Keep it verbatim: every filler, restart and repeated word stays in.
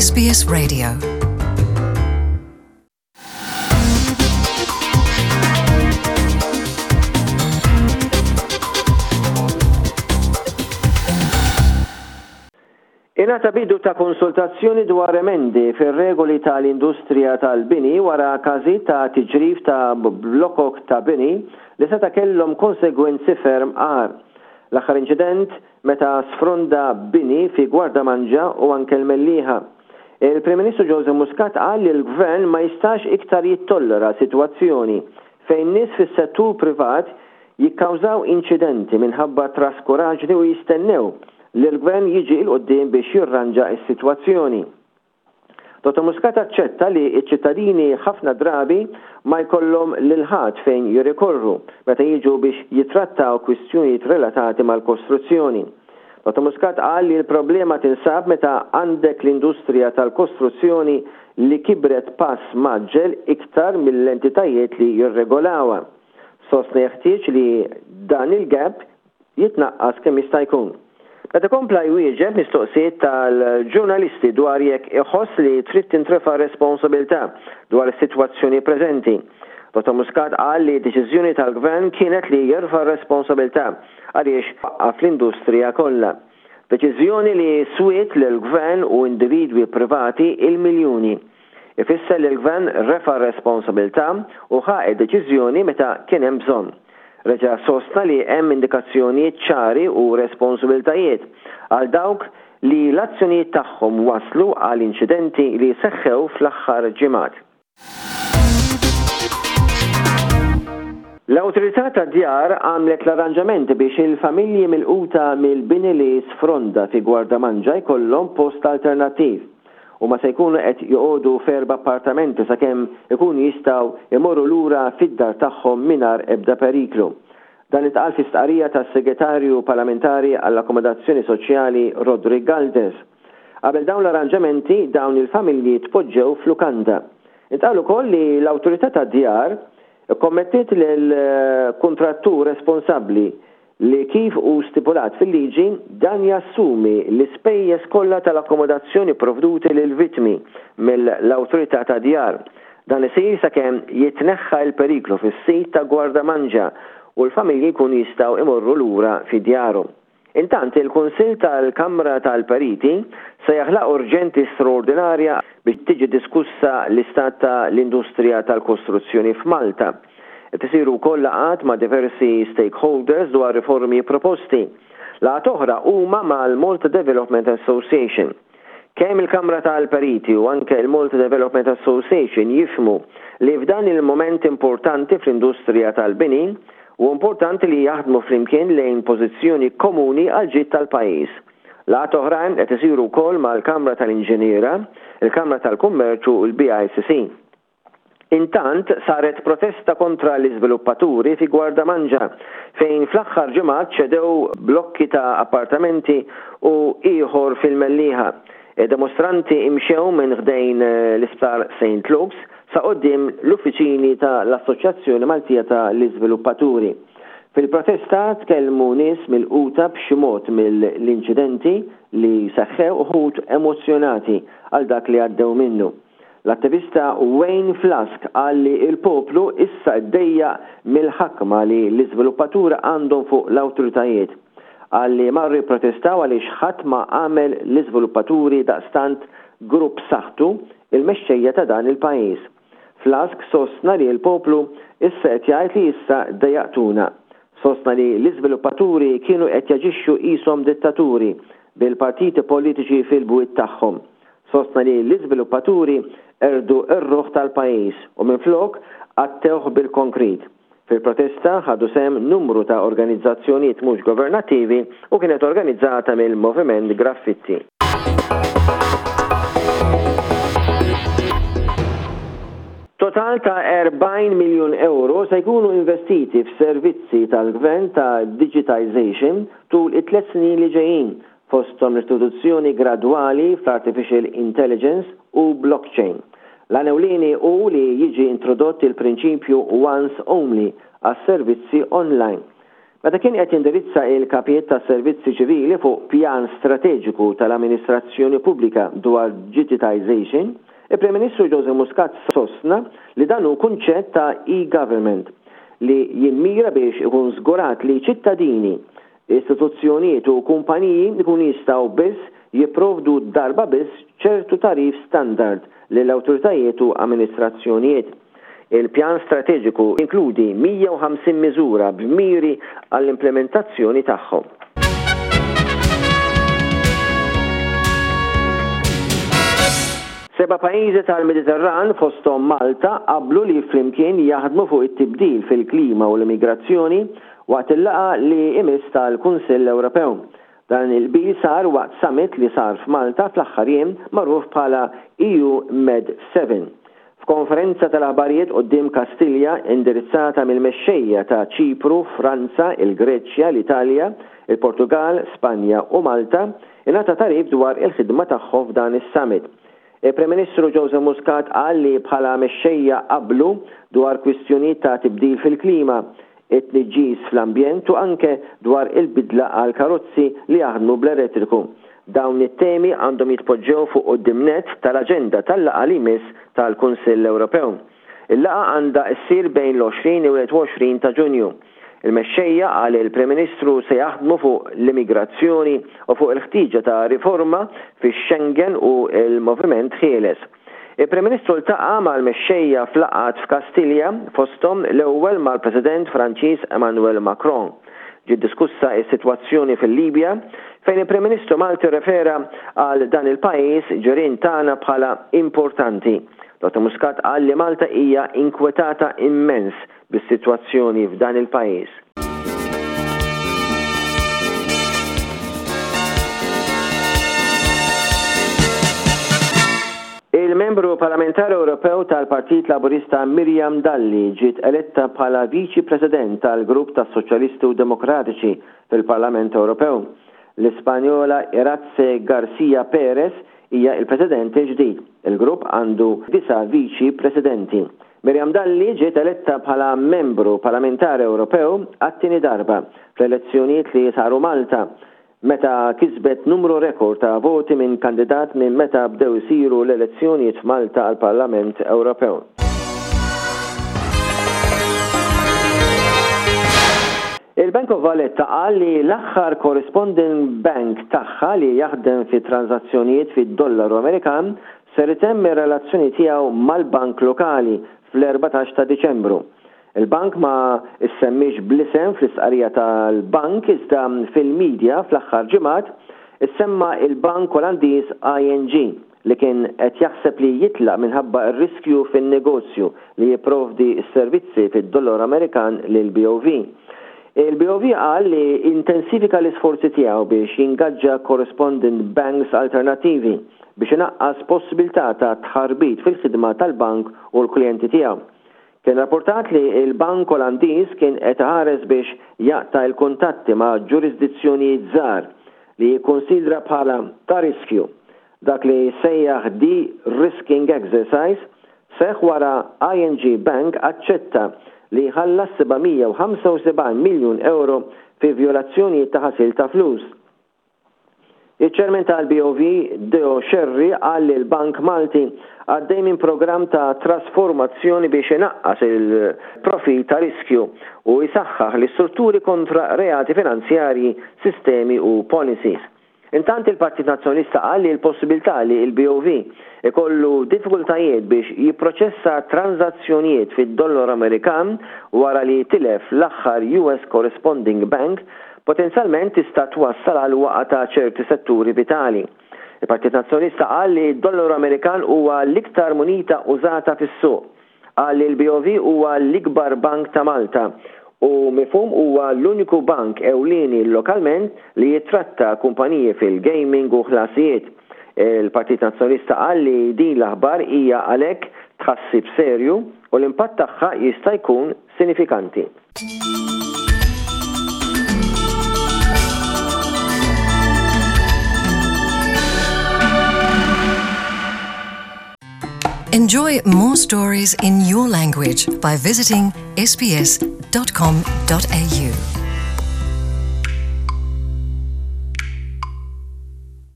S B S Radio. Ingħata bidu ta' konsultazzjoni dwar emendi fir-regoli tal-industrija tal-bini wara każijiet ta' tiġrif ta' blokok ta' bini li seta' kellhom konsegwenzi ferm agħar. L-aħħar inċident meta sfronda bini fi Gwardamanġa u anke l-Mellieħa. Il-Prim Ministru Joseph Muscat qal li l-Gvern ma jistax iktar jittollera sitwazzjoni fejn nies fis-settur privat jikkawżaw inċidenti minħabba traskuraġni u jistennew li l-Gvern jiġi 'l quddiem biex jirranġa s-sitwazzjoni. Dottor Muscat aċċetta li ċ-ċittadini ħafna drabi ma jkollhom lil ħadd fejn jirrikorru meta jiġu biex jitrattaw kwistjonijiet relatati mal-kostruzzjoni. Dottor Muscat qal li l-problema tinsab meta għandek l-industrija tal-kostruzzjoni li kibret pass mgħaġġel iktar mill-entitajiet li jirregolawha. Sostna jeħtieġ li dan il-gap jitnaqqas kemm jista' jkun. Meta kompla jwieġeb mistoqsijiet tal-ġurnalisti dwar jekk iħoss li trid tintrefa' responsabilità dwar is-sitwazzjoni preżenti, Dottor Muscat qal li deċiżjoni tal-Gvern kienet li jerfa' responsabilità għaliex waqqaf l-industrija kollha. Deċiżjoni li swiet lill-Gvern u individwi privati il-miljuni. Ifisser li l-Gvern refa' responsabilità u ħa deċiżjoni meta kien hemm bżonn. Reġa' sostna li hemm indikazzjonijiet ċari u responsabilitajiet għal dawk li l-azzjonijiet tagħhom waslu għal inċidenti li seħħew fl-aħħar ġimgħat. L-Awtorità tad-Djar għamlet l-arranġamenti biex il-familji milquta mill-bini li sfronda fi Gwardamanġa jkollhom post alternattiv u ma se jkunu qed joqogħdu f'erba' appartamenti sakemm ikunu jistgħu imorru lura fid-dar tagħhom mingħajr ebda periklu. Dan intqal fi stqarrija tas-Segretarju Parlamentari għall-Akkomodazzjoni Soċjali Roderick Galdes. Qabel dawn l-arranġamenti, dawn il-familji tpoġġew f'lukanda. Intqal ukoll li l-Awtorità tad-Djar ikkommettiet lill-kuntrattur responsabbli li, kif hu stipulat fil-liġi, dan jassumi l-ispejjeż kollha tal-akkomodazzjoni provduti lil vittmi mill-Awtorità tad-Djar. Dan isir sakemm jitneħħa l-periklu fis-sit ta' Gwardamanġa u l-familji jkunu jistgħu imorru lura fi djarhom. Intant, il-Kunsill tal-Kamra tal-Periti se jaħlaq urġenti straordinarja biex tiġi diskussa l-istat ta' l-industrija tal-kostruzzjoni f'Malta. Qed isiru wkoll laqgħat ma' diversi stakeholders dwar riformi proposti. Laqgħat oħra huma mal-Malta Development Association. Kemm il-Kamra tal-Periti u anke il-Malta Development Association jifhmu li f'dan il-moment importanti fl-industrija tal-bini u importanti li jaħdmu flimkien lejn pożizzjoni komuni għal ġid tal-pajjiż. Laqgħat oħrajn qed isiru wkoll mal-Kamra tal-Inġiniera, il-Kamra tal-Kummerċu u l-B I C C. Intant, saret protesta kontra l-iżviluppaturi fi Gwardamanġa fejn fl-aħħar ġimgħat ċedew blokki ta' appartamenti u ieħor fil-Mellieħa. Id-demostranti imxew minn ħdejn l-Isptar Saint Luke's sa quddiem l-uffiċini ta' l-Assoċjazzjoni Maltija ta' l-Iżviluppaturi. Fil-protesta tkellmu nies milquta b'xi mod mill-inċidenti li seħħew, uħud emozjonati għal dak li għaddew minnu. L-attivista Wayne Flask qal li il-poplu issa ddejjaq mill-ħakma li l-iżviluppaturi għandhom fuq l-awtoritajiet. Qal li marru jipprotestaw għaliex ħadd ma għamel l-iżviluppaturi daqstant grupp saħtu il-mexxejja ta' dan il-pajjiż. Flask sostna li l-poplu issa qed jgħid li issa dejjaqtuna. Sostna li l-iżviluppaturi kienu qed jaġixxu qishom dittaturi bil-partiti politiċi fil-bwiet tagħhom. Sostna li l-iżviluppaturi qerdu r-ruħ tal-pajjiż u minflok għattewh bil-konkrit. Fil-protesta ħadu sehem numru ta' organizzazzjonijiet mhux governattivi u kienet organizzata mill-Moviment Graffitti. Total ta' erbgħin miljun euro se jkunu investiti f'servizzi tal-gvern ta' digitization tul it-tliet snin li ġejjin, fosthom l-introduzzjoni gradwali fl-artificial intelligence u blockchain. L-għan hu li jiġi introdott il-prinċipju once only għas servizzi online. Meta kien qed jindirizza il-kapijiet tas-servizzi ċivili fuq pjan strateġiku tal-amministrazzjoni pubblika dwar digitization, il-Prim Ministru Joseph Muscat sostna li dan hu kunċett ta' e-government li jimmira biex ikun żgurat li ċittadini, istituzzjonijiet u kumpaniji ikun jistgħu biss jipprovdu darba biss ċertu tagħrif standard lill-awtoritajiet u amministrazzjonijiet. Il-pjan strateġiku inkludi mija u ħamsin miżura b'miri għall-implementazzjoni tagħhom. Seba' pajjiżi tal-Mediterran, fosthom Malta, qablu li flimkien jaħdmu fuq it-tibdil fil-klima u l-immigrazzjoni waqt il-laqgħa li imiss tal-Kunsill Ewropew. Dan il-qbil sar waqt summit li sar f'Malta fl-aħħar jiem, magħruf bħala E U Med seba. F'konferenza tal-aħbarijiet quddiem Kastilja, indirizzata mill-mexxejja ta' Ċipru, Franza, il-Greċja, l-Italja, il-Portugal, Spanja u Malta, ingħata tagħrif dwar il-ħidma tagħhom f'dan is-summit. Il-Prim Ministru Joseph Muscat qal li bħala mexxejja qablu dwar kwistjonijiet ta' tibdil fil-klima, it-tniġġis fl-ambjent u anke dwar il-bidla għal karozzi li jaħdmu bl-elettriku. Dawn it-temi għandhom jitpoġġew fuq quddiem nett tal-aġenda tal-laqgħa li jmiss tal-Kunsill Ewropew. Il-laqgħa għandha ssir bejn l-għoxrin u wieħed u għoxrin ta' Ġunju. Il-mexxejja, qal il-Prim Ministru, se jaħdmu fuq l-immigrazzjoni u fuq il-ħtiġa ta' riforma fix-Schengen u il-moviment ħieles. Il-Prim Ministru ltaqa' mal-mexxejja f'laqgħat f'Kastilja, fosthom l-ewwel mal-President Franċiż Emmanuel Macron. Ġiet diskussa is-sitwazzjoni fil-Libja, fejn il-Prim Ministru Malti refera għal dan il-pajjiż ġirien tagħna bħala importanti. Dottor Muscat qal li Malta hija inkwetata immens bis-sitwazzjoni f'dan il-pajjiż. Il-membru parlamentari Ewropew tal-Partit Laburista Miriam Dalli ġiet eletta bħala Viċi President tal-Grupp tas-Soċjalisti u Demokratiċi fil-Parlament Ewropew. L-Ispanjola Iratxe Garcia Perez hija il-President ġdid. Il-grupp għandu disa' Viċi Presidenti. Miriam Dalli ġiet eletta bħala membru parlamentari Ewropew għat-tieni darba fl-elezzjonijiet li saru Malta, meta kisbet numru rekord ta' voti minn kandidat minn meta bdew isiru l-elezzjonijiet f'Malta għal Parlament Ewropew. Il-Bank of Valletta qal li l-aħħar corresponding bank tagħha li jaħdem fi transazzjonijiet fid-dollaru Amerikan ser itemm ir-relazzjoni tiegħu mal-bank lokali fl-erbatax ta' Diċembru. Il-bank ma issemmix bl-isem fl-istqarrija tal-bank, iżda fil-medja fl-aħħar ġimgħat issemma il-bank Olandiż I N G li kien qed jaħseb li jitlaq minħabba r-riskju fin-negozju li jipprovdi s-servizzi fid-dollar Amerikan lil B O V. Il-B O V qal li intensifika l-isforzi tiegħu biex jingaġġa correspondent banks alternativi biex inaqqas possibilità ta' tħarbit fil-ħidma tal-bank u l-klijenti tiegħu. Kien rapportat li il-Bank Olandiż kien qed iħares biex jaqta' l-kuntatti ma' ġurisdizzjonijiet żgħar li jikkonsidra bħala ta' riskju. Dak li sejjaħ de-risking exercise seħ wara I N G Bank aċċetta li ħallas seba' mija u ħamsa u sebgħin miljun euro fi violazzjoni ta' ħasil ta' flus. Il-ċermen tal-B O V, Deo Scerri, qal li l-Bank Malti għaddej minn program ta' trasformazzjoni biex inaqqas il-profil ta' riskju u jisaxħaħ l-istrutturi kontra reati finanzjarji, sistemi u policies. Intant, il-Partit Nazzjonalista qal li l-possibilità li il-B O V ikollu diffikultajiet biex jipproċessa transazzjonijiet fid-dollar Amerikan wara li tilef l-aħħar U S Corresponding Bank potenzjalment tista' twassal għal waqgħa ta' ċerti setturi vitali. Il-Partit Nazzjonalista qal li d-dollaru Amerikan huwa l-iktar munita użata fis-suq. Qal li l-B O V huwa l-ikbar bank ta' Malta u mifhum huwa l-uniku bank ewlieni lokalment li jitratta kumpaniji fil-gaming u ħlasijiet. Il-Partit Nazzjonalista qal li din l-aħbar hija għalhekk tħassib serju u l-impatt tagħha jista' jkun sinifikanti. Enjoy more stories in your language by visiting S B S dot com dot A U.